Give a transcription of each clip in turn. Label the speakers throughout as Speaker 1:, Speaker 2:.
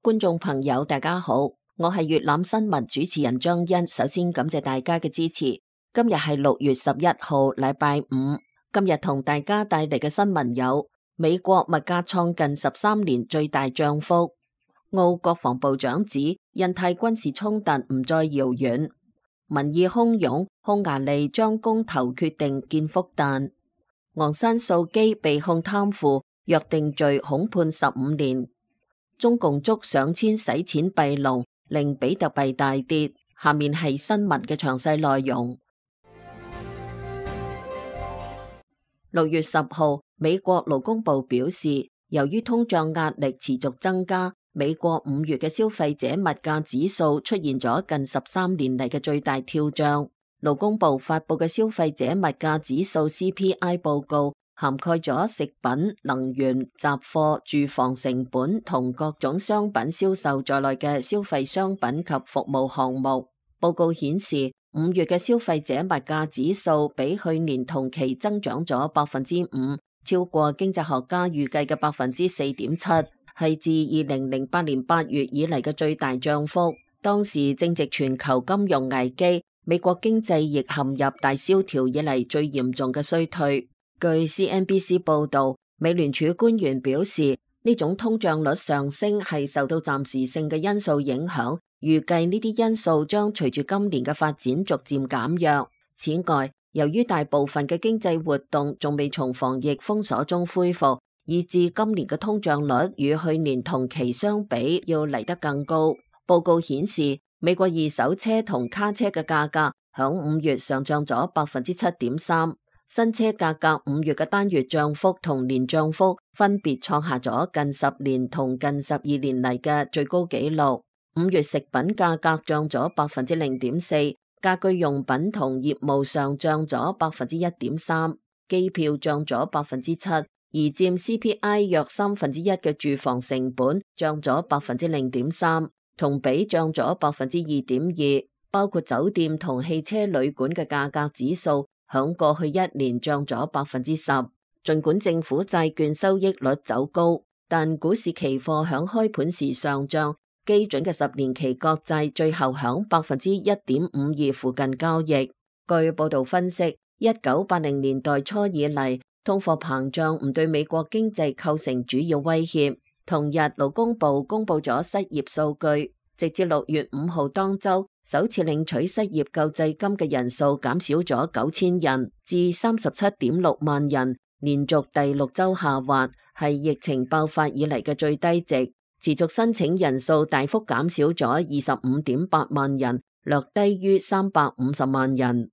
Speaker 1: 觀眾朋友大家好，我係粵覽新聞主持人張欣，首先感謝大家嘅支持。今日係6月11號，禮拜五。今日同大家帶嚟嘅新聞有：美國物價創近13年最大漲幅；澳國防部長指印太軍事衝突唔再遙遠；民意洶湧，匈牙利將公投決定建復旦；昂山素姬被控貪腐，約定罪恐判15年；中共捉上千洗錢閉籠，令比特幣大跌。下面係新聞嘅詳細內容。6月10號，美國勞工部表示，由於通脹壓力持續增加，美國5月嘅消費者物價指數出現咗近13年嚟嘅最大跳漲。勞工部發佈嘅消費者物價指數 CPI 報告，涵蓋咗食品、能源、雜貨、住房成本同各種商品銷售在內嘅消費商品及服務項目。報告顯示，5月嘅消費者物價指數比去年同期增長咗5%，超過經濟學家預計嘅4.7%，係自2008年8月以嚟嘅最大漲幅。當時正值全球金融危機，美國經濟亦陷入大蕭條以嚟最嚴重嘅衰退。據 CNBC 報導，美聯儲官員表示，呢種通脹率上升係受到暫時性嘅因素影響，預計呢啲因素將隨住今年嘅發展逐漸減弱。此外，由於大部分嘅經濟活動仲未從防疫封鎖中恢復，以致今年嘅通脹率與去年同期相比要嚟得更高。報告顯示，美國二手車同卡車嘅價格響5月上漲咗7.3%，新車價格5月嘅單月漲幅同年漲幅分別創下咗近10年同近12年嚟嘅最高紀錄。5月食品價格漲咗0.4%，家居用品同業務上漲咗1.3%，機票漲咗7%，而佔 CPI 約1/3嘅住房成本漲咗0.3%，同比漲咗2.2%。包括酒店同汽車旅館嘅價格指數響過去1年漲咗10%。盡管政府債券收益率走高，但股市期貨響開盤時上漲。基準嘅10年期國債最後響1.52%附近交易。據報道分析，1980年代初以嚟，通貨膨脹唔對美國經濟構成主要威脅。同日，勞工部公布咗失業數據，直至6月5號當周，首次領取失業救濟金嘅人數減少咗9000人，至37.6萬人，連續第6週下滑，係疫情爆發以嚟嘅最低值。持續申請人數大幅減少咗25.8萬人，略低於350萬人。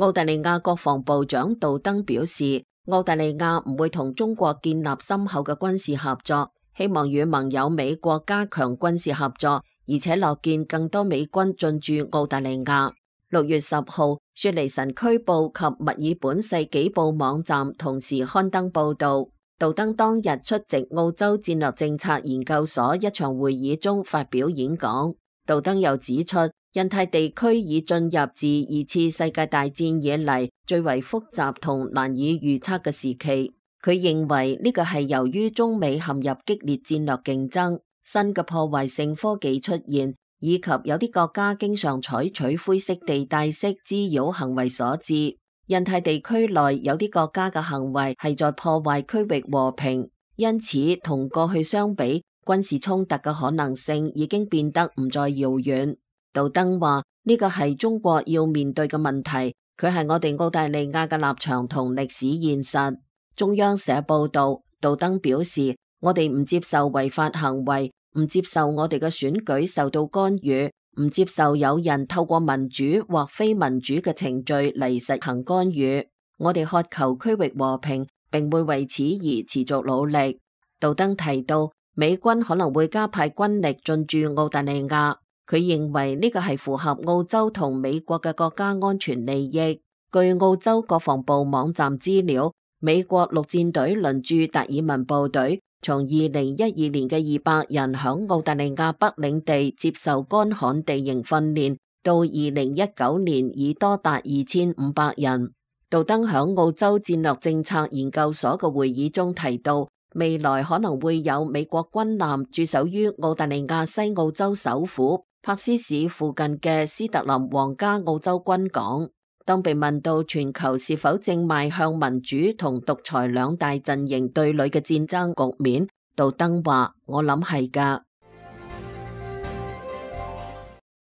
Speaker 1: 澳大利亞國防部長杜登表示，澳大利亞唔會同中國建立深厚嘅軍事合作，希望與盟友美國加強軍事合作，而且樂見更多美軍進駐澳大利亞。6月10號，雪梨晨區報及墨爾本世紀報網站同時刊登報導。杜登當日出席澳洲戰略政策研究所一場會議中發表演講。杜登又指出，印太地區已進入自2次世界大戰以嚟最為複雜同難以預測嘅時期。佢認為呢個係由於中美陷入激烈戰略競爭、新嘅破壞性科技出現，以及有啲國家經常採取灰色地帶式滋擾行為所致。印太地區內有啲國家嘅行為係在破壞區域和平，因此同過去相比，軍事衝突嘅可能性已經變得唔再遙遠。杜登話呢個係中國要面對嘅問題，佢係我哋澳大利亞嘅立場同歷史現實。中央社報道，杜登表示，我哋唔接受違法行為，唔接受我哋嘅選舉受到干預，唔接受有人透過民主或非民主嘅程序嚟實行干預。我哋渴求區域和平，並會為此而持續努力。杜登提到，美軍可能會加派軍力進駐澳大利亞，佢認為呢個係符合澳洲同美國嘅國家安全利益。據澳洲國防部網站資料，美國陸戰隊輪駐達爾文部隊從2012年嘅200人響澳大利亞北領地接受乾旱地形訓練，到2019年已多達2500人。杜登響澳洲戰略政策研究所嘅會議中提到，未來可能會有美國軍艦駐守於澳大利亞西澳洲首府柏斯市附近嘅斯特林皇家澳洲軍港。當被問到全球是否正邁向民主同獨裁兩大陣營對壘嘅戰爭局面，杜登話：我諗係㗎。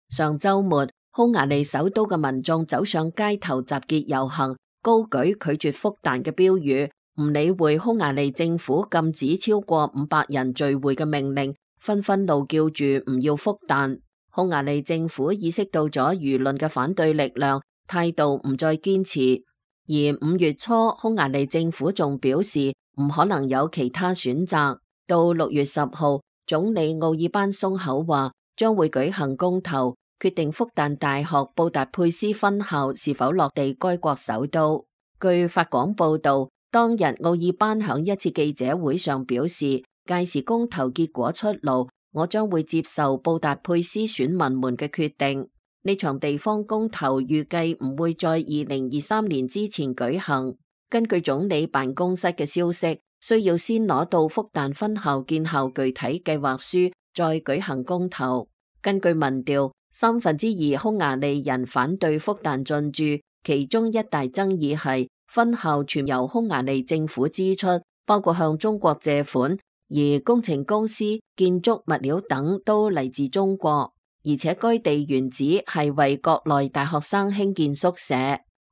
Speaker 1: 上週末，匈牙利首都嘅民眾走上街頭集結遊行，高舉拒絕復旦嘅標語，唔理會匈牙利政府禁止超過500人聚會嘅命令，紛紛怒叫住唔要復旦。匈牙利政府意識到咗輿論嘅反對力量，態度唔再堅持。而5月初，匈牙利政府仲表示唔可能有其他選擇。到6月10號，總理奧爾班鬆口話將會舉行公投，決定復旦大學布達佩斯分校是否落地該國首都。據法廣報道，當日奧爾班響一次記者會上表示，屆時公投結果出爐，我將會接受布達佩斯選民們嘅決定。呢場地方公投預計唔會在2023年之前舉行。根據總理辦公室嘅消息，需要先攞到復旦分校建校具體計劃書，再舉行公投。根據民調，2/3匈牙利人反對復旦進駐，其中一大爭議係分校全由匈牙利政府支出，包括向中國借款，而工程公司、建築物料等都嚟自中國，而且該地原址係為國內大學生興建宿舍。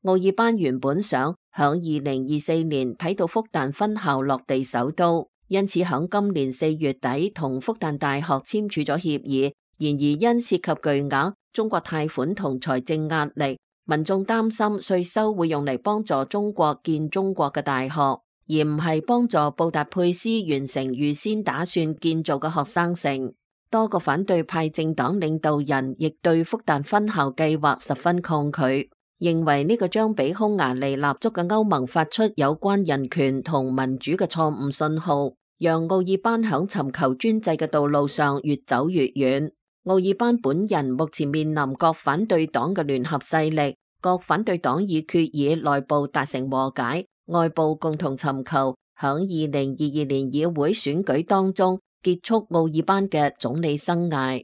Speaker 1: 奧爾班原本想響2024年睇到復旦分校落地首都，因此響今年4月底同復旦大學簽署咗協議。然而因涉及巨額中國貸款同財政壓力，民眾擔心稅收會用嚟幫助中國建中國嘅大學，而唔係幫助布達佩斯完成預先打算建造嘅學生城。多個反對派政黨領導人亦對復旦分校計劃十分抗拒，認為呢個將俾匈牙利立足嘅歐盟發出有關人權同民主嘅錯誤信號，讓奧爾班響尋求專制嘅道路上越走越遠。奧爾班本人目前面臨各反對黨嘅聯合勢力，各反對黨已決議內部達成和解，外部共同尋求響2022年議會選舉當中結束奧爾班嘅總理生涯。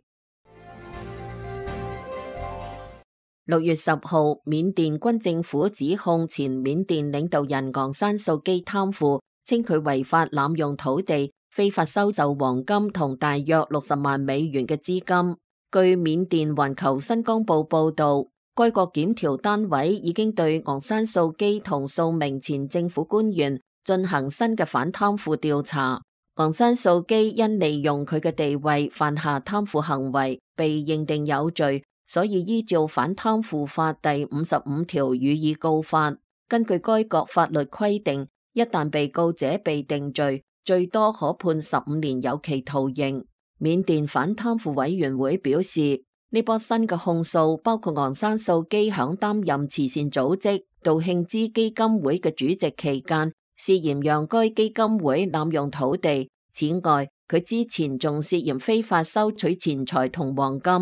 Speaker 1: 6月10號，緬甸軍政府指控前緬甸領導人昂山素基貪腐，稱佢違法濫用土地，非法收受黃金同大約60萬美元嘅資金。據緬甸環球新江報報道，該國檢調單位已經對昂山素基同數名前政府官員進行新嘅反貪腐調查。昂山素基因利用佢嘅地位犯下貪腐行為，被認定有罪，所以依照反貪腐法第55條予以告發。根據該國法律規定，一旦被告者被定罪，最多可判15年有期徒刑。緬甸反貪腐委員會表示，呢波新嘅控訴包括昂山素基響擔任慈善組織道慶之基金會嘅主席期間，涉嫌讓該基金會濫用土地。此外，佢之前仲涉嫌非法收取錢財同黃金。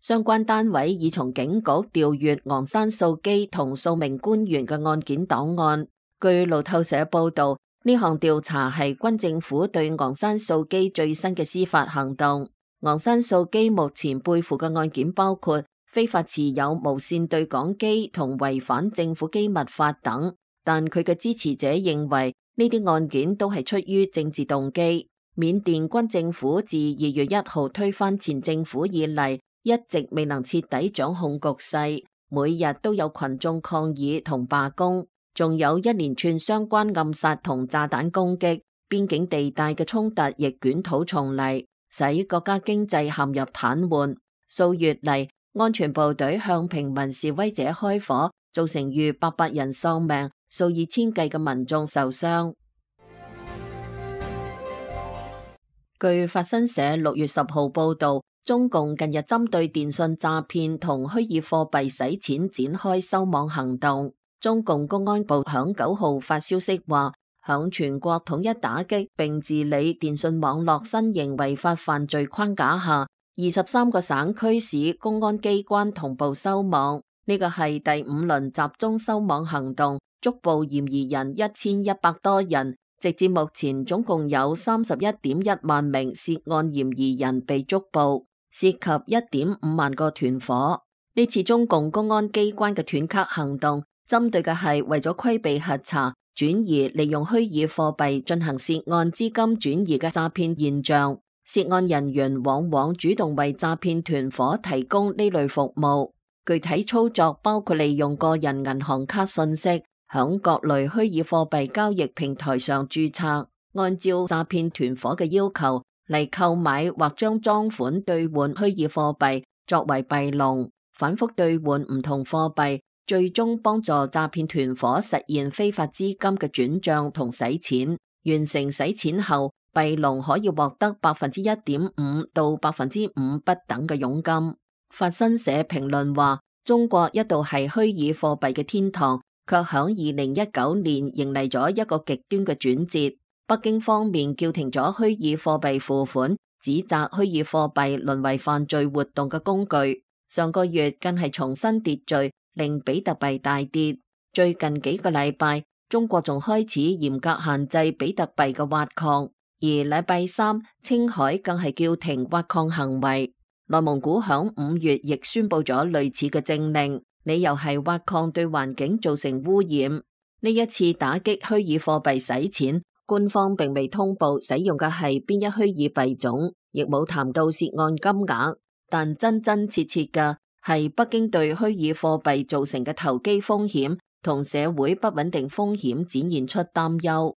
Speaker 1: 相關單位已從警局調閱昂山素基同數名官員嘅案件檔案。據路透社報道，呢項調查係軍政府對昂山素基最新嘅司法行動。昂山素基目前背負嘅案件包括非法持有無線對講機同違反政府機密法等，但佢嘅支持者認為呢啲案件都係出於政治動機。緬甸軍政府自2月1號推翻前政府以嚟，一直未能徹底掌控局勢，每日都有群眾抗議同罷工，仲有一連串相關暗殺同炸彈攻擊，邊境地帶嘅衝突亦捲土重嚟，使國家經濟陷入癱瘓。數月嚟，安全部隊向平民示威者開火，造成逾800人喪命，數以千計嘅民眾受傷。據法新社6月10號報道，中共近日針對電信詐騙同虛擬貨幣洗錢展開收網行動。中共公安部響9號發消息話，響全國統一打擊並治理電信網絡新型違法犯罪框架下，23個省區市公安機關同步收網。呢個係第5輪集中收網行動，捉捕嫌疑人1100多人，直至目前總共有31.1萬名涉案嫌疑人被捉捕，涉及1.5萬個團伙。呢次中共公安機關嘅斷卡行動，針對嘅係為咗規避核查、轉移利用虛擬貨幣進行涉案資金轉移嘅詐騙現象。涉案人員往往主動為詐騙團伙提供呢類服務，具體操作包括利用個人銀行卡信息，響各類虛擬貨幣交易平台上註冊，按照詐騙團伙嘅要求嚟購買或將贓款兌換虛擬貨幣作為幣籠，反覆兌換唔同貨幣，最終幫助詐騙團伙實現非法資金嘅轉賬同洗錢。完成洗錢後，幣籠可以獲得1.5%到5%不等嘅佣金。法新社評論話，中國一度係虛擬貨幣嘅天堂，卻響2019年迎嚟咗一個極端嘅轉折。北京方面叫停咗虛擬貨幣付款，指責虛擬貨幣淪為犯罪活動嘅工具。上個月更係重新秩序，令比特幣大跌。最近幾個禮拜，中國仲開始嚴格限制比特幣嘅挖礦，而禮拜三青海更係叫停挖礦行為。內蒙古響5月亦宣布咗類似嘅政令，理由係挖礦對環境造成污染。呢一次打擊虛擬貨幣洗錢，官方並未通報使用嘅係邊一虛擬幣種，亦冇談到涉案金額，但真真切切嘅係北京對虛擬貨幣造成嘅投機風險同社會不穩定風險展現出擔憂。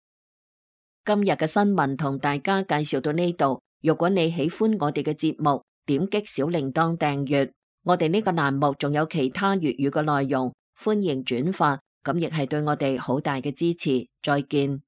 Speaker 1: 今日嘅新聞同大家介紹到呢度，如果你喜歡我哋嘅節目，點擊小鈴鐺訂閱。我哋呢個欄目仲有其他粵語嘅內容，歡迎轉發，咁亦係對我哋好大嘅支持。再見。